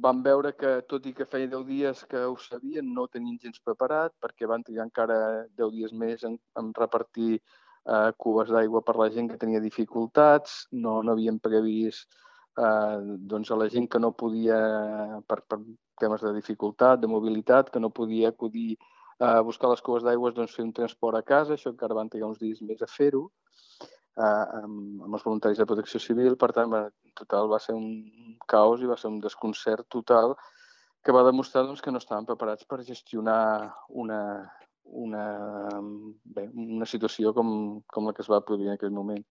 Vam veure que, tot i que feia 10 dies que ho sabien, no ho tenien gens preparat, perquè van trigar encara 10 dies més en repartir cubes d'aigua per la gent que tenia dificultats, no havien previst doncs a la gent que no podia, per temes de dificultat, de mobilitat, que no podia acudir a buscar les cubes d'aigua, doncs fer un transport a casa, això encara van trigar uns dies més a fer-ho, amb els voluntaris de Protecció Civil. Per tant, en total va ser un caos i va ser un desconcert total que va demostrar doncs, que no estaven preparats per gestionar una situació com la que es va produir en aquell moment.